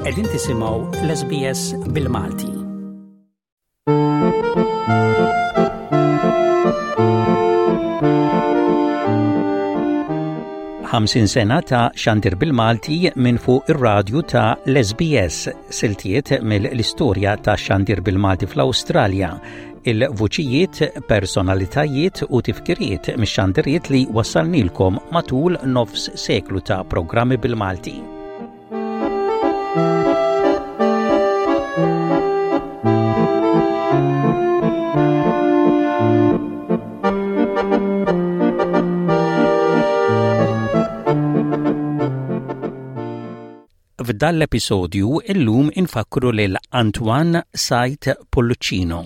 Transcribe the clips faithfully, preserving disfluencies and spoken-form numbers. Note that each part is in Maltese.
Qegħdin tisimgħu l-S B S bil-Malti. Ħamsin sena ta' xandir bil-Malti minn fuq ir-radju ta' l-S B S, siltiet mill-istorja ta' xandir bil-Malti fl-Awstralja, il-vuċijiet, personalitajiet u tifkiriet mix-xandiriet li wassalnilkom matul nofs seklu ta' programmi bil-Malti. F'dan l-episodju illum infakru lil Antoine Said Pullicino,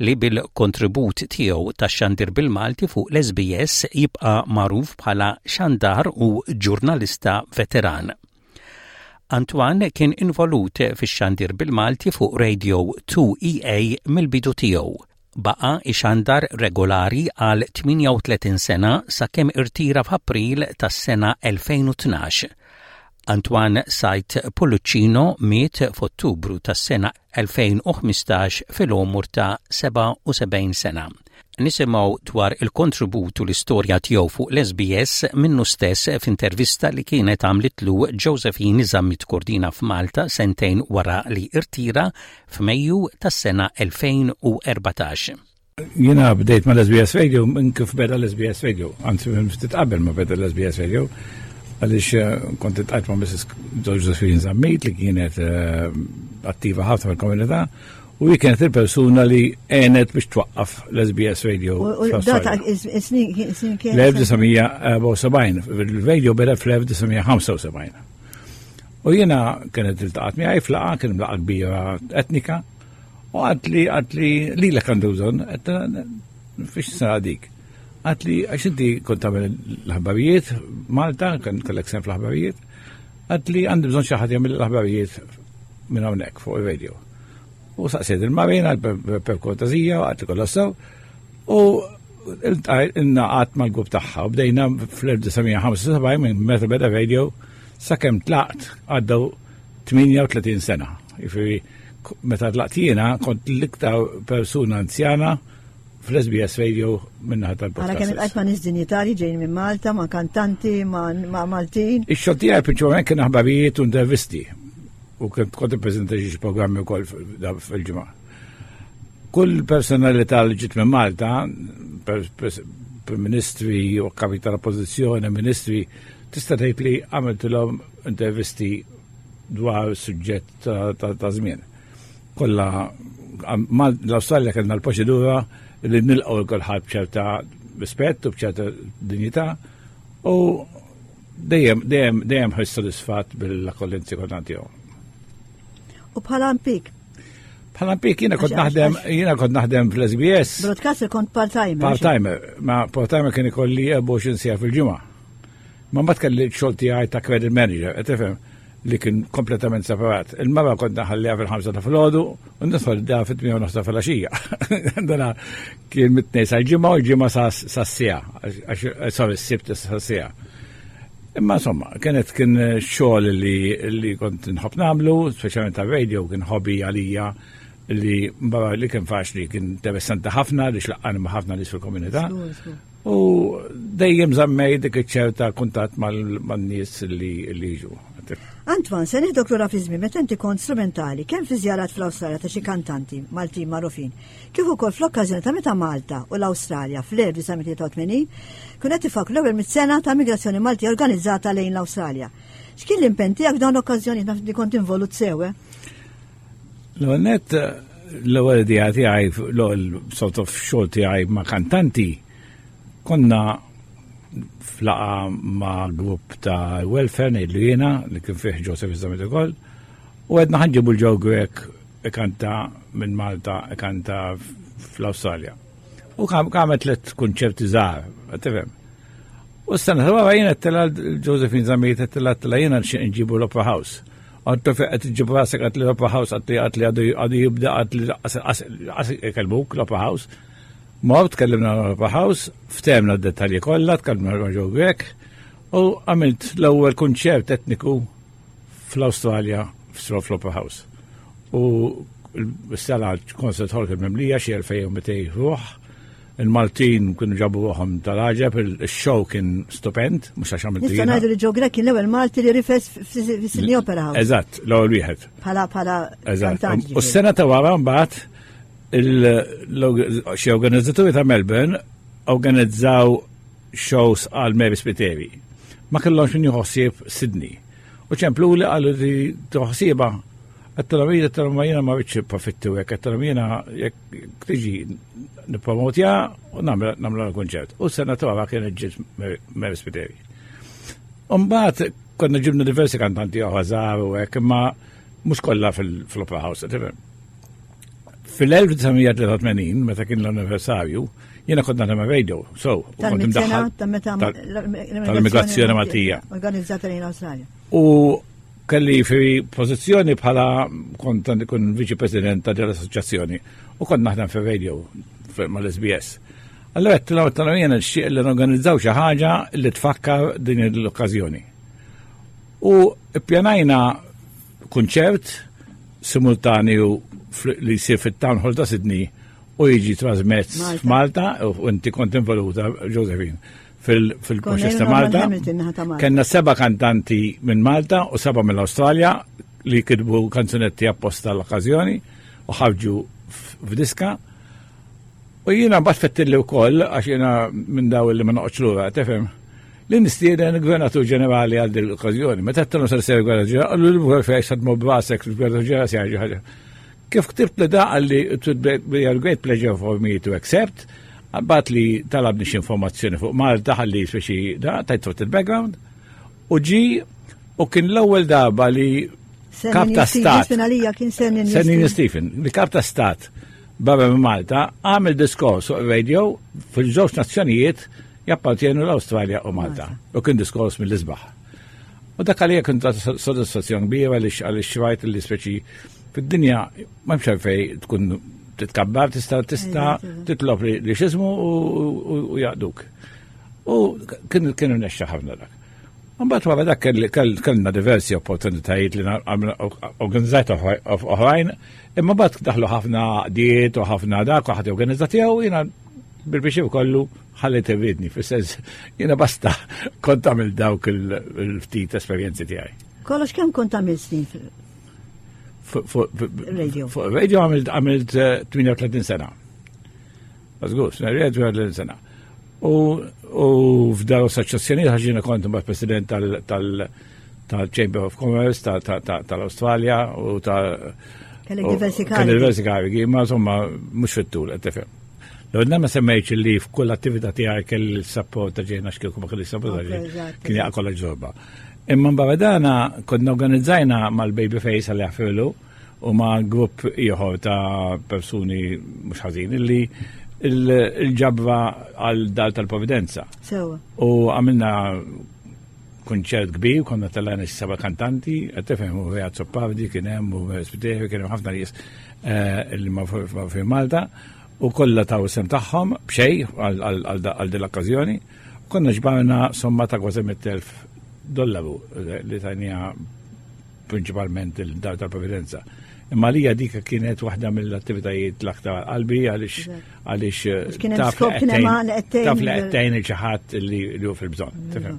li bil-kontribut tiegħu ta' xandir bil-Malti fuq l-S B S jibqa' magħruf bħala xandar u ġurnalista veteran. Antoine kien involut fix-xandir bil-Malti fuq Radio two E A mill-bidu tiegħu. Baqa ixandar regolari għal tmienja u tletin sena sakemm irtira f'April tas-sena elfejn u tnax. Antoine Said Pullicino miet f'Ottubru tas-sena elfejn u ħmistax fil-għomor ta' sebgħa u sebgħin sena. Nisimgħu dwar il-kontribut u l-istorja tiegħu fuq l-S B S minnu stess f'intervista li kienet għamlitlu Josephine Zammit Cordina f'Malta sentejn wara li irtira f'Mejju tas-sena elfejn u erbatax. Jiena bdejt ma l-S B S Radio minn kif beda l-S B S Radio, anzi minn ftit qabel ma beda l-S B S Radio, għaliex eh, kont iltqajt ma' Missus Josephine Zammit li kienet eh, attiva ħafna fil-komunità u hi kienet il-persuna li għenet biex twaqqaf l-S B S Radio. U data is-snin kien? L-elf disa' mija erbgħa u sebgħin, il-radio beda fl-elf disa' mija ħamsa u sebgħin. U jiena kienet iltaqgħet miegħi f'laqgħa, kien laqgħa kbira etnika, u qaltli qaltli li l għandu bżonn, fiex sena dik. Qaltli għax inti kont tagħmel l-aħbarijiet Malta, kien kellek sehem fl-aħbarijiet, qaltli għandi bżonn xi ħadd jagħmel l-aħbarijiet minn hawnhekk fuq ir-radio. U saqsiet il-Marina per kortesija, qaltli kollha sew, u ingħaqadt mal-grupp tagħha u bdejna fl-elf disa' mija ħamsa u sebgħin minn meta beda radio sakemm tlaqt, għaddew tmienja u tletin sena. Jiġifieri meta tlaqt jiena kont l-iktar persuna anzjana fl-S B S Radio min-naħa tal-podcast. Għara kemm iltqajt ma' nies dinjitari ġejjin minn Malta, ma' kantanti, ma' Maltin. Ix-xogħol tiegħi prinċipalment kien aħbarijiet u intervisti. U kont kont ippreżenta xi programmi wkoll fil-ġimgħa. Kull personalità li ġiet minn Malta, prim ministri u kapi tal-oppożizzjoni, ministri, tista' tgħid li għamiltilhom intervisti dwar suġġett ta' żmien. Kollha l-Awstralja kellna l-proċedura li nilqgħu kulħadd b'ċerta rispett u b'ċerta dinjità u dejjem dejjem dejjem ħoss sodisfatt bil-akkoljenzi kollha tiegħu. U bħala impjieg? Bħala impjieg jiena kont naħdem jiena kont naħdem fl-S B S. Broadcaster kont part-timer. Part-timer, ma part-timer kien ikolli erbgħa u għoxrin siegħa fil-ġimgħa. Ma mbagħad kelli xogħol tiegħi ta' credit manager, qed tifhem, li kien kompletament separat. Il-mara kont naħalliha fil-ħamsa ta' filgħodu u nidħol da fit-tmienja u nofs filgħaxija. Dana kien mit-Tnejn sal-Ġimgħa u l-Ġimgħa sas-siegħa, sorry, s-Sibt sas-siegħa. Imma insomma, kienet kien xogħol li, li kont nħobb nagħmlu, speċjalment ta' radio, kien hobby għalija li barra li kien faċli, kien interessanti ħafna li xlaqqani ma' ħafna nies fil-komunità. U dejjem żammej dik iċ-ċerta kuntatt man-nies li jiġu. Antoine, se nieħdok lura fi żmien meta inti kont strumentali kemm fi żjarat fl-Awstralja ta' xi kantanti Maltin magħrufin, kif ukoll fl-okkażjoni ta' meta Malta u l-Awstralja fl-elf disa' mija tlieta u tmenin kienu qed ifakkru l-ewwel mit sena ta' migrazzjoni Malti organizzata lejn l-Awstralja. X'kien l-impenn tiegħek f'dawn l-okkażjoni, naf li kont involut sew? L-ewwel nett, l-ewwel idea tiegħi, l-ewwel sort of xogħol tiegħi ma' kantanti, konna f'laqgħa ma' grupp ta' welfare, ngħidlu jiena, li kien fih Joseph Zammit ukoll, u għedna ħa nġibu l-Joe Grech ikanta minn Malta, ikanta fl-Awstralja. U għamel tliet kunċerti żgħar, tifhem. U s-sena ta' wara jiena għedtilha Josephine Zammit, għedtilha għedtilha jiena nġibu l-Opera House. Għedtilha fejn qed iġġib rasek, qaltli l-Opera House qaltli qaltli għadu jibda, qaltli qas ikellmuk l-Opera House. Mort, tkellimna l-Opera House, ftehemna d-dettalji kollha, tkellimna ma' Joe Grech, u għamilt l-ewwel kunċert etniku fl-Awstralja fl-Opera House. U s-sala concert hall kien mimlija xi elfejn u mitejn ruħ. Il-Maltin kienu ġabu ruħhom tal-għaġeb, il-show kien stupend, mhux għax għamiltu Nista' jiena. ngħidu li Joe Grech kien l-ewwel Malti li rifes fis-Sydney Opera House. Eżatt, l-ewwel wieħed. Bħala bħala Eżatt. kantant. U s-sena ta' wara mbagħad il- xi organizzaturi ta' Melbourne organizzaw shows għal Mary Spiteri. Ma kellhomx min jieħu ħsieb Sydney. U ċemplu li qalu li tħossiba. Għedtilhom jiena, għedtilhom ma jiena ma rridx profitti u hekk, għedtilhom jiena jekk tiġi nippromotja u nagħmlu l-konċert. U s-sena ta' wara kienet ġiet Mary Spiteri. Umbagħad konna ġibna diversi kantanti oħra żgħar u hekk, imma mhux kollha fil-Opera House, tifhem. Fil-elf disa' mija tlieta u tmenin, meta kien l-anniversarju, jiena kont naħdem radio, so, u kont Tal-mitt sena imdaħħal ta' meta tal- tal-immigrazzjoni Maltija. Organizzata lejn Awstralja. U kelli fi pożizzjoni bħala kont kun viċi president ta' dell-assoċjazzjoni u kont naħdem fi radio mal-S B S. Allora għedtilhom għedtilhom jiena nixtieq li norganizzaw xi ħaġa li tfakkar din l-okkażjoni. U ppjanajna kunċert simultanju li jsir fit-Town Hall ta' Sydney u jiġi trasmess Malta. f'Malta u inti kont involuta, Josephine, fil-proċess ta' Konna Malta. Hamilton naħa ta' Malta. Kenna seba kantanti minn Malta u seba mill-Australja li kitbu kanzunetti apposta l-okkażjoni u ħarġu f'diska. U jiena mbagħad fettilli wkoll, għax jiena minn daw li ma noqgħodx lura, tifhem, li nistieden il-Gvernatur Ġenerali għal din l-okkażjoni. Meta għedtilhom se jsir Gvernatur Ġenerali, qallu l fejn se tmur b'rasek il-Gvernatur Ġenerali se jgħid ħaġa. Kif ktibt li da qalli it would be a great pleasure for me to accept, bagħat li talabni xi informazzjoni fuq Malta ħalli speċi da tajt fuq il-background u ġi u kien l-ewwel darba li kap ta' stat Finalija kien Sir Ninian Sir Ninian Stephen, li kap ta' stat barra minn Malta għamel diskors fuq radio fil-żewġ nazzjonijiet jappartienu, l-Awstralja u Malta. U kien diskors mill-isbaħ. U dak għalija kien ta' soddisfazzjon kbira għaliex għaliex rajt li speċi fid-dinja ma hemmx għalfejn tkun titkabbar, tista' tista' titlob li li x'ismu u- u jaqduk. U kien kienu nexxa ħafna dak. Mbagħad wara dak kelli- kell- kellna diversi opportunitajiet li na- għamilna- organizzajt oħra- oħrajn, imma mbagħad daħlu ħafna għaqdiet u ħafna dak u ħadd organizza tiegħu, jiena bil-biex kollu ħallit irridni, fis-sens jiena basta kont għamil dawk il- il-ftit esperjenzi tiegħi. Kollox kemm kont għamil snin fil- Fuq fuq- fuq- Radio. Fuq radio għamilt għamilt eh, tmienja u tletin sena. Żgur, tmienja u tletin sena. U u f'dar assoċjazzjoni ħaġina kont mbagħad president tal- tal- tal-Chamber of Commerce ta- ta- ta- tal-Australja u ta' Kellek u- diversi Kelli karigi. diversi karigi, ma insomma mhux fit-tul, qed tifhem. L-għodna ma semmejx li f'kull attività tiegħi kelli l-support ta' ġejna x'kieku ma kelli support ta' Ok, ġejna eżatt, kien jaqa' kollha ġorba. Imma barra dana konna organizzajna mal-Babyface għal jaħfirlu u ma' grupp ieħor ta' persuni mhux ħażin illi il- il-ġabra għal dar tal-Providenza. Sewa. U għamilna konċert kbir, konna tellajna xi seba' kantanti, qed tifhem, u Rea Azzopardi kien hemm u Spiteri, kien hemm ħafna nies eh, li ma fi Malta u kollha taw sehem tagħhom b'xejn għal- għal għal din l-okkażjoni. Konna ġbarna somma ta' kważi mitt elf dollaru eh, li tajnija prinċipalment il-dar tal-Providenza. Imma lija dik kienet waħda mill-attivitajiet l-aktar qalbi għaliex għaliex eh, Għax kien hemm taf li skop, kien hemm għan qed tgħin taf li il- qed tgħin il xi ħadd li li hu fil-bżonn. Tifhem?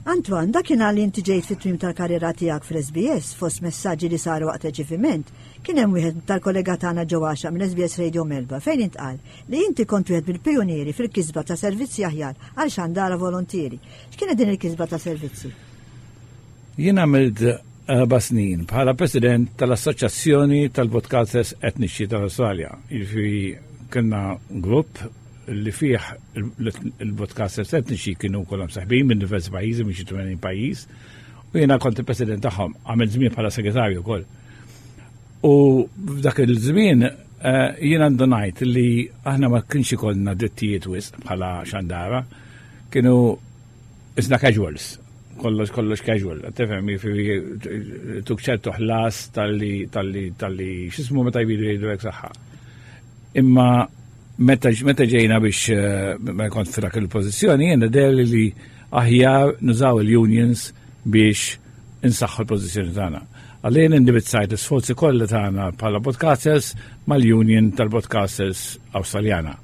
Antoine, dakinhar li inti ġejt fit-tmiem tal-karriera tiegħek fl-S B S, fost messaġġi li saru waqt reċeviment, kien hemm wieħed tal-kollega tagħna Joe Axiaq minn S B S Radio Melbourne fejn intqal li inti kont wieħed mill-pijunieri fil-kisba ta' servizzi aħjar għal xandara volontieri. X'kienet din il-kisba ta' servizzi? Jien għamilt erba' snin bħala president tal-Assoċjazzjoni tal-Broadcasters Etniċi tal-Australja. Jiġifieri kellna grupp li fih il-broadcasters etniċi kienu kollha msaħbin minn diversi pajjiżi, minn xi tmenin pajjiż, u jiena kont il-president tagħhom, għamilt żmien bħala segretarju wkoll. U f'dak il-żmien eh, jiena għandu ngħid li aħna ma kienx ikollna drittijiet wisq bħala xandara, kienu isna casuals, kollox kollox casual, tifhem, jiġifieri tuk ċertu ħlas talli talli talli x'ismu meta jbidu jgħidu hekk saħħa. Imma meta meta ġejna biex eh, ma kont f'dak il-pożizzjoni, jiena deher li aħjar nużaw il-unions biex insaħħu l-pożizzjoni tagħna. Għalli jien indirizzajt l-sforzi kollha tagħna bħala broadcasters mal-Union tal-Broadcasters Awstraljana.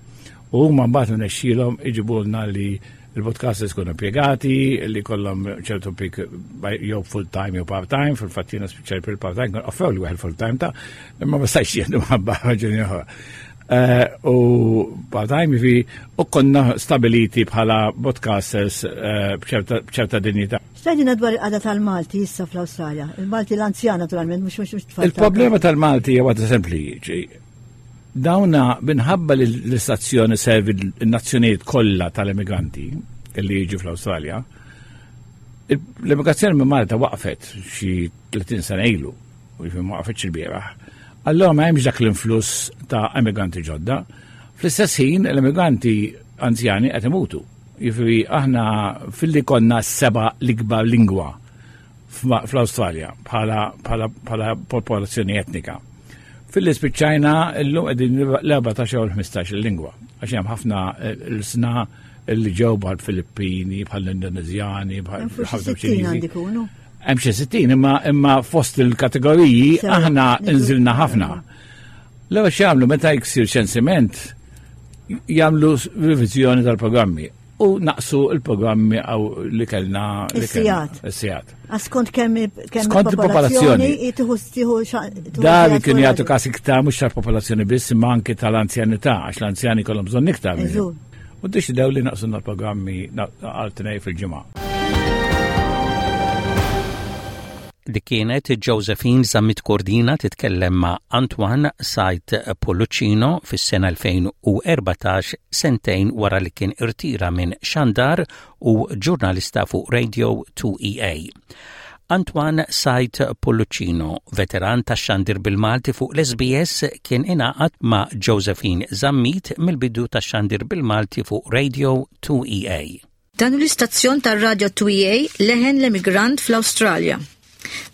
U huma mbagħad rnexxielhom iġibulna li il-broadcasters kunu impjegati, li kollhom ċertu pik jew full time jew part time, fil-fatt jiena spiċċajt bil-part time, offrew li wieħed full time ta' imma ma stajtx jien minħabba raġuni oħra. Eh, u part-time fi u konna stabiliti bħala broadcasters eh, b'ċerta dinjità. X'tgħidilna dwar il-qagħda tal-Malti issa fl-Awstralja? Il-Malti l-anzjan naturalment, mhux mhux mhux tfal. Il-problema tal-Malti hija waħda sempli. Dawna minħabba li l-istazzjoni servi l-nazzjonijiet kollha tal-immigranti li jiġu fl-Awstralja, l-immigrazzjoni minn Malta waqfet xi tletin sena ilu, u jiġifieri ma waqfetx il-bieraħ. Allora ma hemmx dak l-influss ta' immigranti ġodda. Fl-istess ħin l-immigranti anzjani qed imutu. Jiġifieri aħna filli konna seba' l-ikbar lingwa fl-Awstralja bħala, bħala, bħala popolazzjoni etnika. Filli spiċċajna llum qegħdin l-erbatax jew l-ħmistax il-lingwa. Għax hemm ħafna l-sna li ġew bħal Filippini, bħal Indonezjani, bħal ħafna Ċiniżi. Hemm xi sittin, imma imma fost il-kategoriji aħna nżilna ħafna. L-ewwel x'jagħmlu meta jsir ċensiment, jagħmlu riviżjoni tal-programmi u naqsu il-programmi għaw li kellna. Is-sigħat. Is-sigħat. Skont kemm skont il-popolazzjoni. Da li kien jagħtu każ iktar mhux tal-popolazzjoni biss imma anke tal-anzjanità, għax l-anzjani kollhom bżonn iktar. U ddeċidew li naqsu l-programmi għal tnejn fil-ġimgħa. Dik kienet Josephine Zammit Cordina titkellem ma' Antoine Said Polluccino fis-sena elfejn u erbatax, sentejn wara li kien irtira minn xandar u ġurnalista fuq Radio two E A. Antoine Said Polluccino, veteran ta' xandir bil-Malti fuq l-S B S, kien ingħaqad ma' Josephine Zammit mill-bidu ta' xandir bil-Malti fuq Radio two E A. Dan l-istazzjon tar-Radio two E A, leħen l-emigrant fl-Awstralja.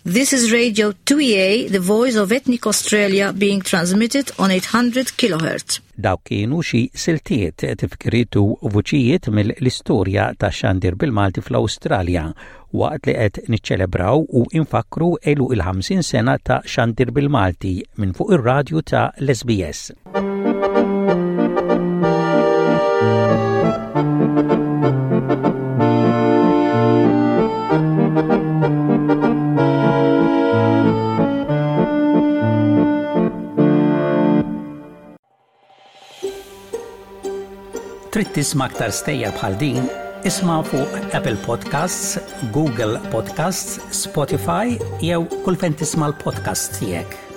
This is Radio two E A, the voice of ethnic Australia, being transmitted on eight hundred kilohertz. Dawk kienu xi siltiet, tifkiriet u vuċijiet mill-istorja ta' xandir bil-Malti fl-Awstralja waqt li qed niċċelebraw u infakru għeluq il-ħamsin sena ta' xandir bil-Malti minn fuq ir-radju ta' l-S B S. Trid tisma' aktar stejjer bħal din? Isma' fuq Apple Podcasts, Google Podcasts, Spotify jew kull fejn tisma' l-podcast tiegħek.